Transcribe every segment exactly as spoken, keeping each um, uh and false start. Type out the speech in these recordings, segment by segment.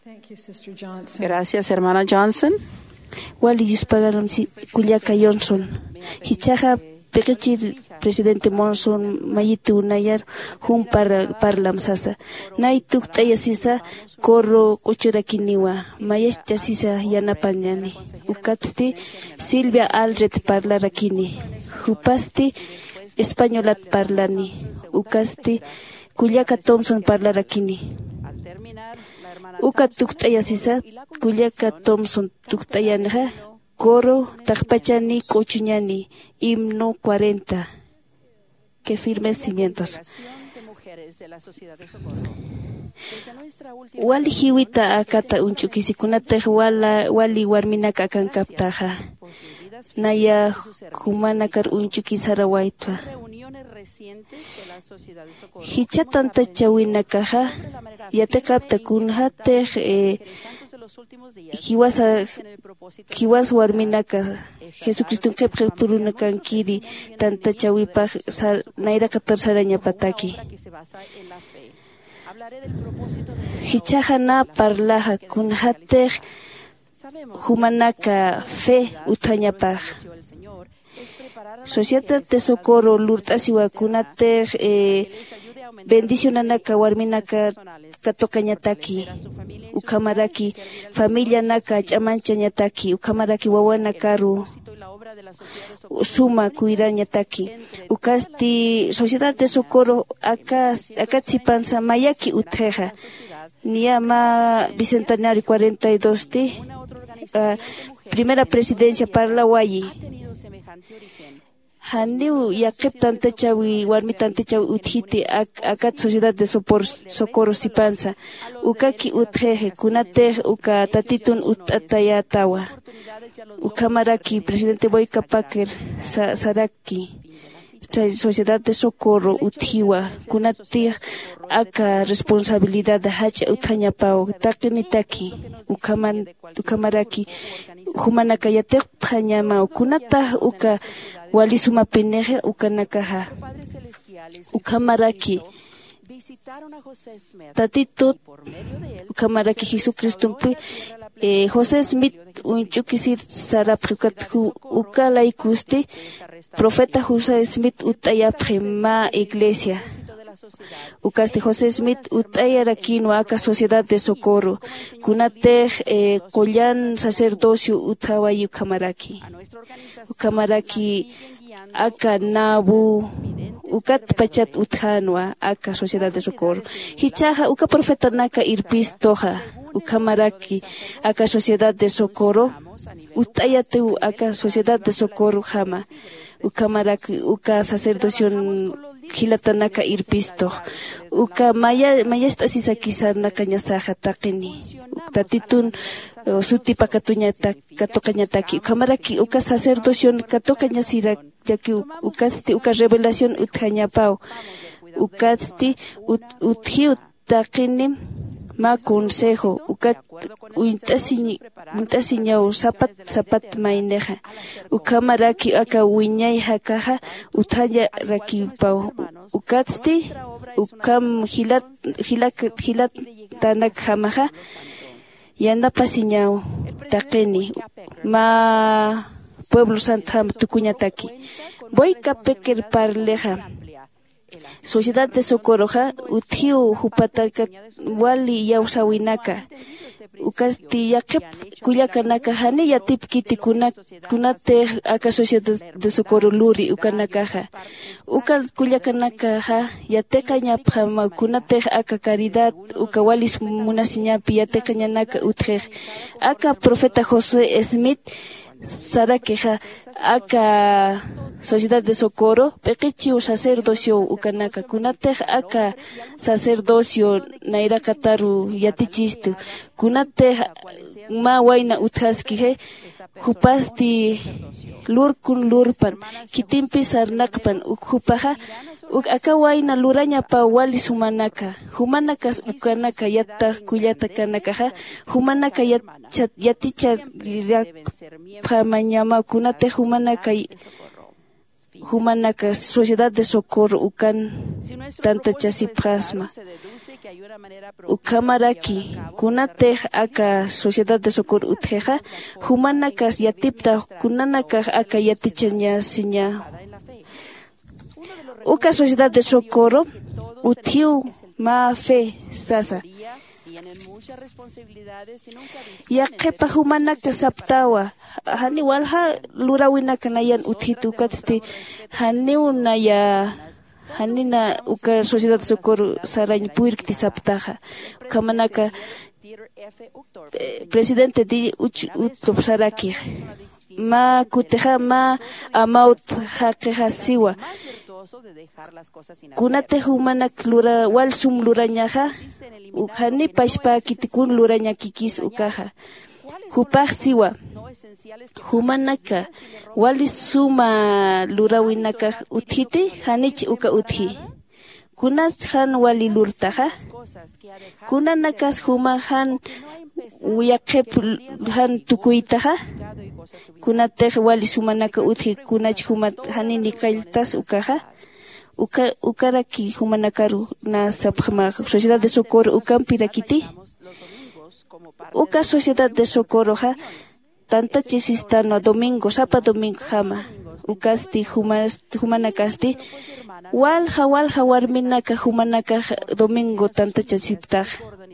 Thank you, Sister Johnson. Gracias, hermana Johnson. Wali yuspaganam si kullaka Johnson. Jichhaxa piqichir presidente Monson mayitu nayar jum par-, parlam sasa. Nay tukt'aya sisa coro q'uchurakiniwa. Mayachta sisa yanapañani. Ukatsti Silvia Aldred parlarakini. Jupasti españolat parlani. Ukasti kullaka Thompson parlarakini. Uka tukt'aya sisa kullaka Thompson tukt'ayanixa coro taqpachani q'uchuñani, himno cuarenta. Qué firmes cimientos. Wali jiwita akata uñch'ukisi kunatix wala-, wali warminaka akankaptaxa. Naya jumanakar uñch'ukisara waytwa. Jichha tantachawinakaxa yatiqapta kunjatix, eh, jiwasa, jiwas warminaka Jesucriston qhipqi turunakankiri tantachawipax sa-, nayraqatar sarañapataki. Jichhaxa na parlaxa kunjatix jumanaka fe utjañapax. Sociedad de Socorro lurt'asiwa kunatix, eh, bendicionanaka warminaka katuqañataki. Ukhamaraki familianaka ch'amanchañataki. Ukhamaraki wawanakaru suma cuidañataki. Ukasti Sociedad de Socorro aka, akat sipansa mayaki utjixa. Niya mä bicentenario cuarenta y dos ti, ah, primera presidencia parlawayi. Janiw yaqhip tantachawi, warmi tantachawi utjiti ak-, akat Sociedad de Sopor-, Socorro sipansa. Ukaki utjixi, kunatix uka Tatitun utt'atayätawa. Ukhamaraki presidente Boyka Packer sa-, saraki. Chay Sociedad de Socorro utjiwa, kunatix aka responsabilidad jach'a utjañapaw, taqinitaki, ukhaman-, ukhamaraki, jumanaka yatiqpxañamaw, kunatax uka wali sumapinixa ukanakaxa. Ukhamaraki, Tatitut, ukhamaraki Jesucristompi, eh, José Smith uñch'ukisir sarapxi, ukat ju-, uka laykusti profeta José Smith utt'ayapxi mä iglesia. Ukasti José Smith utt'ayarakïnwa aka Sociedad de Socorro, kunatix, eh, qullan sacerdocio utjawayi ukhamaraki. Ukhamaraki aka Nabu, ukat pachat utjänwa aka Sociedad de Socorro. Jichhaxa uka profetanaka irpistuxa, ukhamaraki aka Sociedad de Socorro, utt'ayatiw aka Sociedad de Socorrojama, ukhamaraki uka sacerdoción jilatanaka irpistux. Uka maya-, mayast'asisaki sarnaqañasaxa taqini. Tatitun, eh, sutipakatuñata-, katuqañataki. Ukhamaraki uka sacerdoción katuqañasira, yaki u-, ukatsti uka revelación utjañapaw. Ukatsti ut-, utjiw taqini mä consejo, ukat uñt'asiñ-, uñt'asiñaw sapat sapat maynixa. Ukhamaraki aka wiñay jakaxa utjañarakipaw. Ukatsti ukham jilat, jilak, jilatanakjamaxa yanapasiñaw taqini mä pueblo santjam tukuñataki. Boyka Packer parlixa, Sociedad de Socorroxa utjiw jupatakat wali iyawsäwinaka. Ukasti yaqhip kullakanaka jani yatipkiti kuna-, kunatix aka Sociedad de Socorro luri ukanakaxa. Uka kullakanakaxa yatiqañapxama kunatix aka caridad, uka walis munasiñapi yatiqañanaka utjix. Aka profeta José Smith sarakixa, aka Sociedad de Socorro p'iqichiw sacerdocio ukanaka, kunatix aka sacerdocio nayraqataru yatichistu, kunatix mä wayna utjaskixi, jupasti lurkun lurpan, khitimpi sarnaqpan, uk jupaxa, uk aka wayna lurañapaw wali sumanaka, jumanakas ukanaka yattax kullatakanakaxa, jumanaka yat-, chat-, yaticharakpamañamaw kunatix jumanaka y-, jumanaka sociedad de socorro ukan tantachasipxasma. Ukhamaraki kunatix aka sociedad de socorro utjixa, jumanakas yatiptax kunanakax aka yatichañasiña. Uka sociedad de socorro utjiw mä fe sasa. Yaqhipa jumanaka saptawa, jani walja luräwinaka nayan utjit ukatsti janiw naya janina uka sociedad socorro sarañ puyrkti saptaxa. Ukhamanaka presidente di uch utupsarakix mä kutixa mä amawt jaqixasiwa. Kunatix jumanak lura wal sum lurañaxa, jani pachpäkiti kun lurañakikis ukaxa. Jupax siwa, jumanaka wali suma luräwinakax utjiti? Janich uka utji. Kunats jan wali lurtaxa? Kunanakas juma jan yaqhip jan tukuytaxa? Kunatix wali sumanaka utji kunach jumat jani niqalltas ukaxa? Uka ukaraki jumanakaru na sapxmax sociedad de socorro ukampirakiti. Uka sociedad de socorroxa tantachasistanwa domingo sapa domingojama. Ukasti jumanakasti walja walja warminaka jumanakax domingo tantachasiptax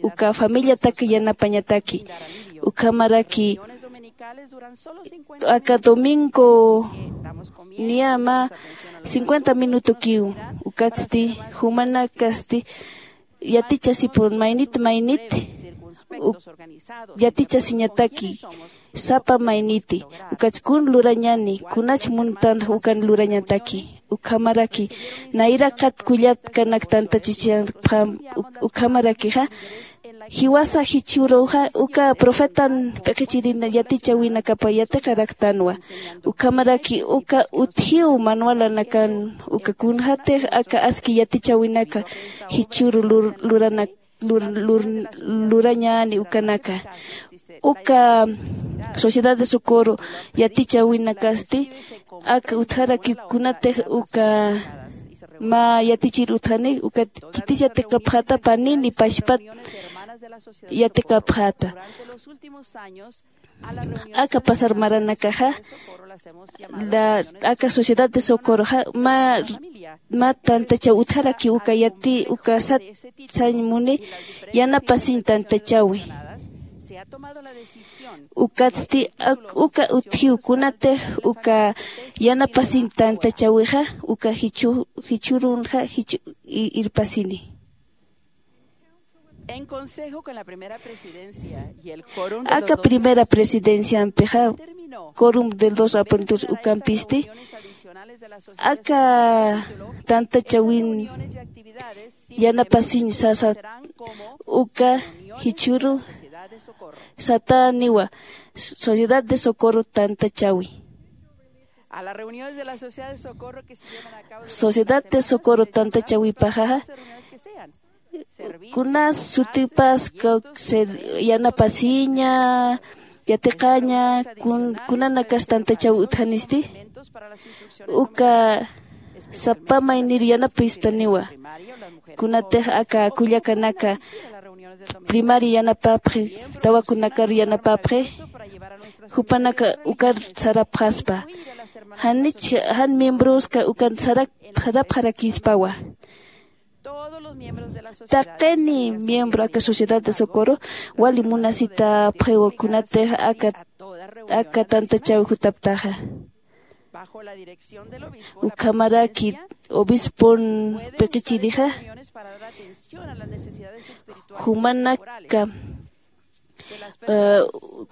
uka familiatak yanapañataki. Ukhamaraki aka domingo niya mä cincuenta minutokiw. Ukatsti jumanakasti yatichasipun maynit maynit yatichasiñataki sapa mayniti. Ukatskun lurañani kunach muntan ukan lurañataki. Ukhamaraki nayraqat kullatkanak tantachisiñapxam. Ukhamarakixa jiwasa jichhüruxa uka profetan p'iqichirin yatichäwinakapa yatiqaraktanwa. Ukhamaraki uka utjiw manualanakan uka kunxatix aka aski yatichäwinaka jichhüru luranak lurañäni ukanaka. Uka sociedad de socorro yatichäwinakasti aka utjaraki kunatix uka mä yatichir utjani ukat khitis yatiqapxäta panini pachpat yatiqapxäta. Aka pasar maranakaxa aka sociedad de socorroxa mä mä tantachaw utjarakiw uka yati uka sat sañ muni yanapasiñ tantachäwi. Ukatsti uka utjiw kunatix uka yanapasiñ tantachäwixa uka jichhürunxa jichhü irpasini. Aka primera presidenciampixa corum del dos apuntur ukampisti aka tantachawin yanapasiñ sasa uka jichhüru satäniwa sociedad de socorro tantachawi. Sociedad de socorro tantachawipaxaxa kunas sutipas yanapasiña yatiqaña kunanakas tantachaw utjanisti uka sapa maynir yanapistaniwa. Kunatix aka kullakanaka primaria yanapapxi tawakunakar yanapapxi jupanaka ukar sarapxaspa janich jan miembroska ukan sarapxarakispawa. Taqini miembro aka sociedad de socorro wali munasitapxiwa kunatix aka aka tantachaw jutaptaxa. Ukhamaraki obispon p'iqichirixa jumanaka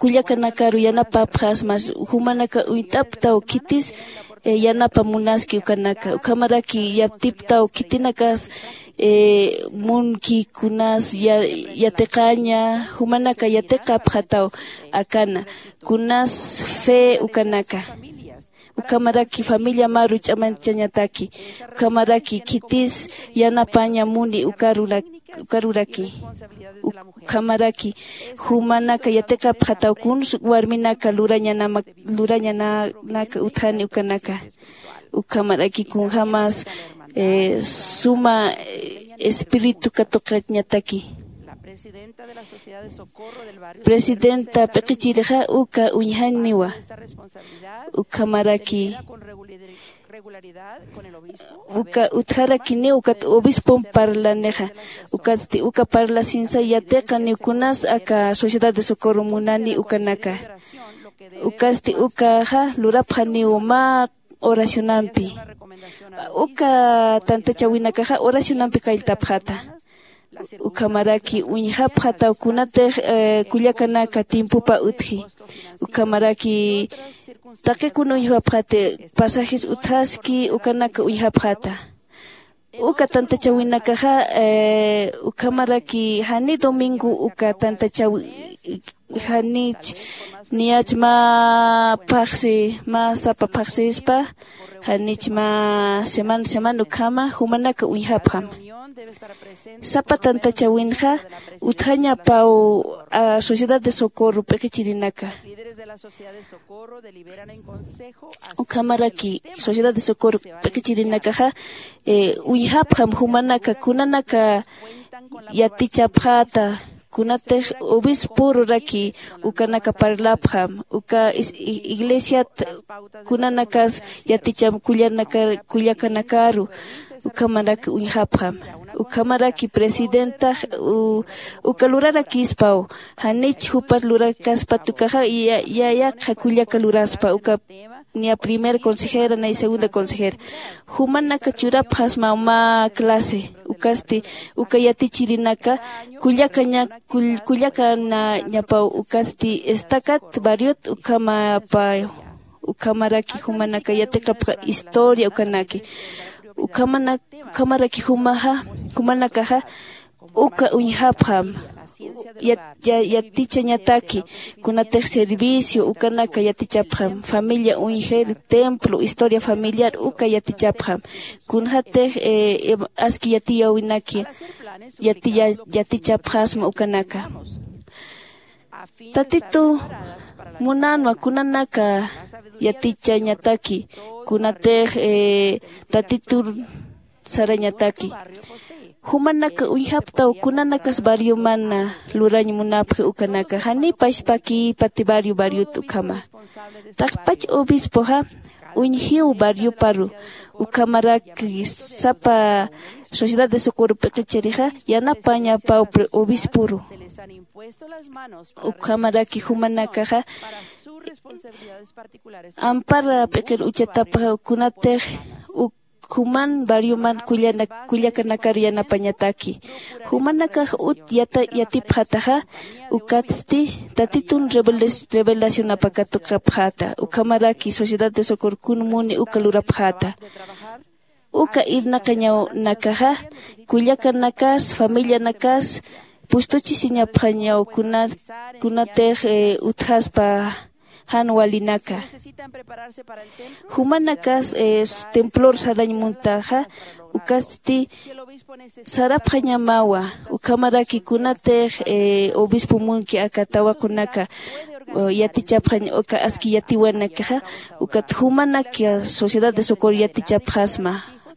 kullakanakaru yanapapxasmas jumanaka uñt'aptaw khitis yanapa munaski ukanaka ukhamaraki yatiptaw khitinakas munki kunas yatiqaña jumanaka yatiqapxataw akana kunas fe ukanaka. Ukhamaraki familia maru ch'amanchañataki ukhamaraki khitis yanapaña muni ukaruraki ukhamaraki jumanaka yatiqapxataw kuns warminaka lurañanaka utjani ukanaka. Ukhamaraki kunjämas suma espíritu katuqañataki. Presidenta p'iqichirixa uka uñjaniwa. Ukhamaraki uka utjarakiniw ukat obispom parlanixa. Ukatsti uka parlasinsa yatiqaniw kunas aka sociedad de socorro munani ukanaka. Ukatsti ukaxa lurapxaniw mä oracionampi. Uka tantachäwinakaxa oracionampi qalltapxata. Ukhamaraki uñjapxataw kunatix kullakanaka tiempopa utji. Ukhamaraki taqi kuna uñjapxati, pasajes utjaski ukanaka uñjapxata. Uka tantachäwinakaxa ukhamaraki jani domingo uka tantachäwi janich niyach mä phaxsi mä sapa phaxsispa janich mä semana semana ukhama jumanaka uñjapxam. Sapa tantachäwinxa utjañapaw sociedad de socorro p'iqichirinaka. Ukhamaraki sociedad de socorro p'iqichirinakaxa uñjapxam jumanaka kunanaka yatichapxäta. Kunatix obisporuraki ukanaka parlapxam uka iglesiat kunanakas yaticham kullakanakaru. Ukhamaraki uñjapxam. Ukhamaraki presidentax uka lurarakispaw janich jupat lurakaspat ukaxa yaqha kullaka luraspa uka niya primera consejera nay segunda consejera. Jumanaka churapxasma mä clase ukasti uka yatichirinaka kullakanañapaw ukasti estacat barriot ukhamapaw. Ukhamaraki jumanaka yatiqapxa historia ukanaki. Ukhamaraki jumaxa jumanakaxa uka uñjapxam yatichañataki kunatix servicio ukanaka yatichapxam familia uñjir templo historia familiar uka yatichapxam. Kunxatix aski yatiyäwinaki yatichapxasma ukanaka. Tatitu munänwa kunanaka yatichañataki kunatix tatitur sarañataki. Jumanaka uñjaptaw kunanakas barriomana lurañ munapxi ukanaka janiw pachpakïpati barrio barriot ukhama. Taqpach obispoxa uñjiw barrioparu. Ukhamaraki sapa sociedad de socorro p'iqichirixa yanapañapaw obisporu. Ukhamaraki jumanakaxa ampara p'iqir uchatapxa kunatix uk juman barrioman kullakanakar yanapañataki. Jumanakax ut yatipxataxa ukatsti tatitun revelacionapa katuqapxäta ukhamaraki sociedad de socorro kun muni uka lurapxäta. Uka irnaqañawnakaxa kullakanakas familianakas pustuchisiñapxañaw kunatix utjaspa jan walinaka. Jumanakas templor sarañ muntaxa ukasti sarapxañamawa. Ukhamaraki kunatix obispo munki aka tawaqunaka yatichapxañ uka aski yatiwanakaxa ukat jumanak sociedad de socorro yatichapxasma.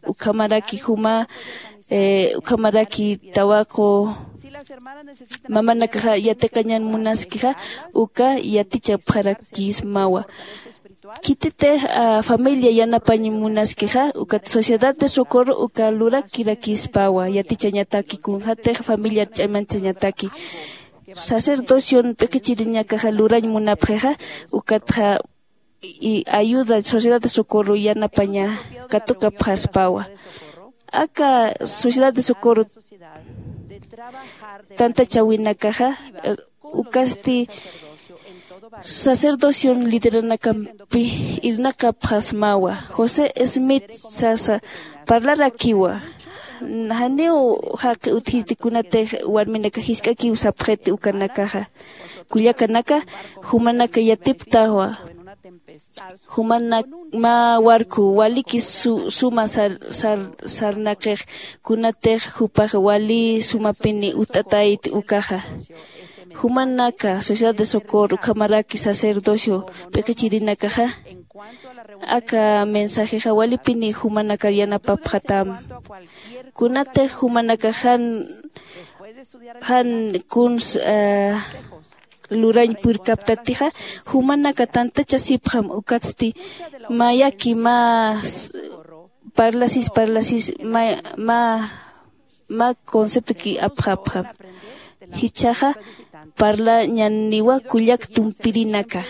Ukhamaraki juma ukhamaraki tawaqu mamanakaxa yatiqañan munaskixa uka yatichapxarakismawa. Khititix familia yanapañ munaskixa ukat sociedad de socorro uka lurakirakispawa yatichañataki kunxatix familiar ch'amanchañataki. Sacerdocion p'iqichiriñakaxa lurañ munapxixa ukatxa ayuda sociedad de socorro yanapaña katuqapxaspawa. Aka sociedad de socorro tantachawinakaxa ukasti sacerdocion lideranakampi irnaqapxasmawa. José smith sasa parlarakiwa. Janiw jaqi utjiti kunatix warminaka jisk'akiw sapxiti ukanakaxa kullakanaka jumanaka yatiptawa. Jumanak mä warku waliki suma sarnaqix kunatix jupax wali sumapini utt'atayt ukaxa. Jumanaka sociedad de socorro ukhamaraki sacerdocio p'iqichirinakaxa Aka mensajexa walipini jumanakar yanapapxatam. Kunatix jumanakax jan jan kuns lurañ purkaptatixa, jumanaka tantachasipxam. Ukatsti mayaki mä parlasis parlasis mä mä conceptoki apxapxam. Jichhaxa parlañaniwa kullak tumpirinaka.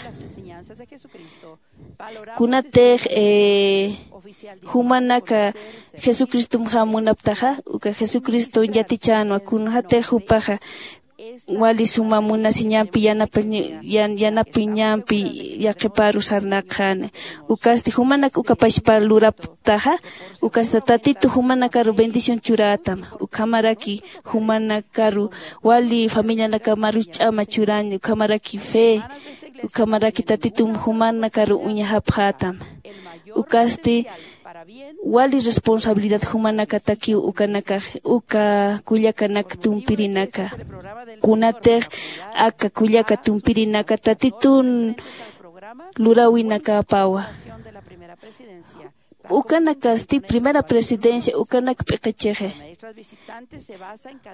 Kunatix jumanaka jesucristomjam munaptaxa, uka jesucristo yatichänwa kunjatix jupaxa wali suma munasiñampi yanapiñampi yaqhiparu sarnaqxani. Ukasti jumanak uka pachpa luraptaxa, ukasta tatitu jumanakaru bendición churätam. Ukhamaraki jumanakaru wali familianakamaru ch'ama churañ, ukhamaraki fe, ukhamaraki tatitum jumanakaru uñjapxätam. Ukasti wali responsabilidad jumanakatakiw ukanakax uka kullakanak tumpirinaka. Kunatix aka kullaka tumpirinaka tatitun luräwinakäpawa. Ukanakasti primera presidencia ukanak p'iqichixi.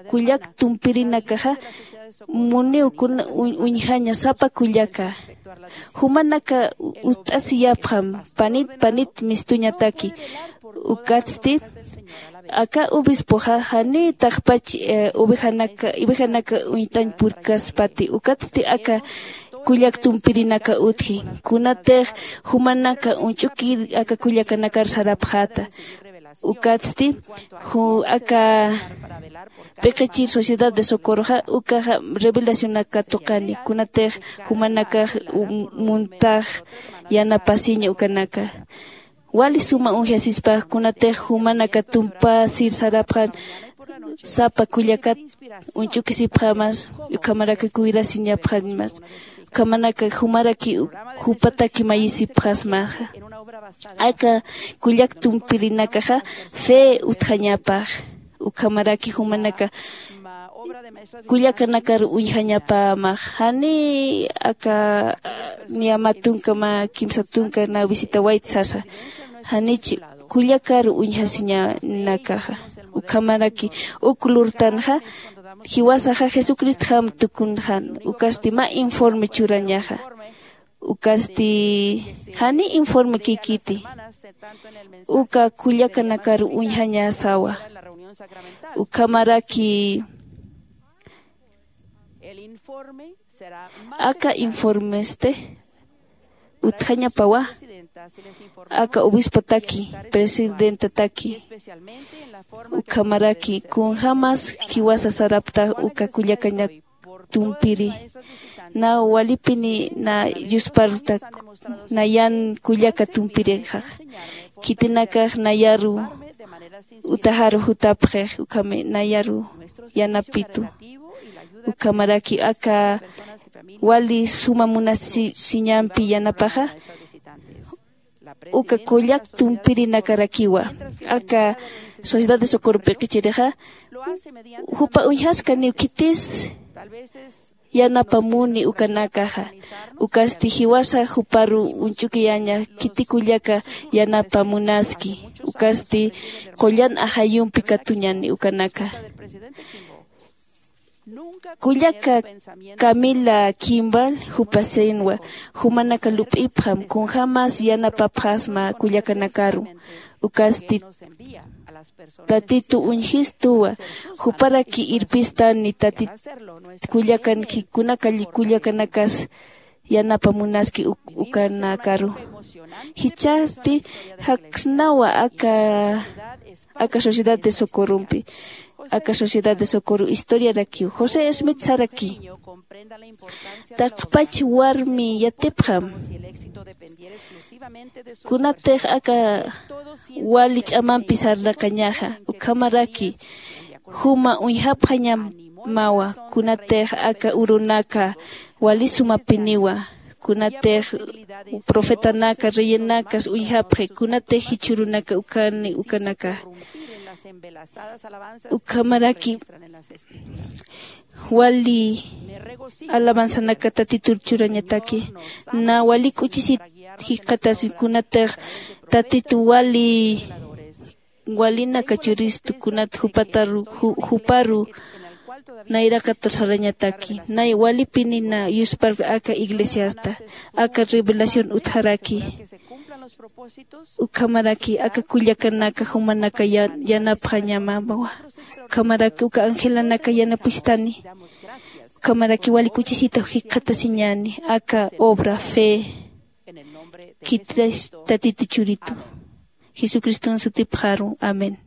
Kullak tumpirinakaxa muniw kuna uñjaña sapa kullaka. Jumanaka ut'asiyapxam panit panit mistuñataki. Ukatsti aka obispoxa janiy taqpach ovejanaka uñt'añ purkaspati. Ukatsti aka kullak tumpirinaka utji. Kunatix jumanaka uñch'ukir aka kullakanakar sarapxäta. Ukatsti aka p'iqichir sociedad de socorroxa ukaxa revelacionaka tuqani kunatix jumanakax muntax yanapasiña ukanaka. Wali suma uñjasispax kunatix jumanaka tumpasir sarapxan sapa kullakat uñch'ukisipxamas, ukhamaraki cuidasiñapxañmas, ukhamanaka jumaraki jupataki mayisipxasmaxa. Aka kullak tumpirinakaxa fe utjañapax. Ukhamaraki jumanaka kullakanakar uñjañapämax. Janiy aka niya mä tunka mä kimsa tunka na visitawayt sasa. Janich kullakar uñjasiñanakaxa. Ukhamaraki uk lurtanxa jiwasaxa jesucristjam tukunxan. Ukasti mä informe churañaxa. Ukasti jani informe kikiti uka kullakanakar uñjañasawa. Ukhamaraki aka informesti utjañapawa. Aka obispotaki presidentataki ukhamaraki kunjämas jiwasa saraptax uka kullakañak tumpiri na walipini na yuspartak nayan kullaka tumpirixax. Khitinakax nayaru utaxaru jutapxix ukhami nayaru yanapitu. Ukhamaraki aka wali suma munasiñampi yanapaxa uka kullak tumpirinakarakiwa. Aka sociedad de socorro p'iqichirixa jupa uñjaskaniw khitis yanapamuni ukanakaxa. Ukasti jiwasa juparu uñch'ukiyaña khiti kullaka yanapamunaski. Ukasti qullan ajayumpi katuñani ukanaka. Kullaka camila kimbal jupasenwa jumanaka lup'ipxam kunjämas yanapapxasma kullakanakaru. Ukasti tatitu uñjistuwa juparaki irpistani tatit kullakanki kunaka kullakanakas yanapamunaski ukanakaru. Jichhasti jaksnawa aka aka sociedad de socorrompi aka sociedad de socorro historiarakiw josé smith saraki. Taqpach warmi yatipxam kunatix aka wali ch'amampi sarnaqañaxa ukhamaraki juma uñjapxañamawa. Kunatix aka urunaka wali sumapiniwa kunatix profetanaka reyinakas uñjapxi kunatix jichhürunaka ukani ukanaka. Ukhamaraki wali alabanzanaka tatitur churañataki na wali k'uchisit jikxatasiñ kunatix tatitu wali walinaka churistu kunat jupataru juparu nayraqatur sarañataki nay walipinina yuspar aka iglesiasta aka revelación utjaraki ukhamaraki aka kullakanaka jumanaka yanapxañamawa ukhamaraki uka angelanaka yanapustani ukhamaraki wali kuchisita jikxatasiñani aka obra fe khitis tatitu churitu jesucriston sutipxaru amén.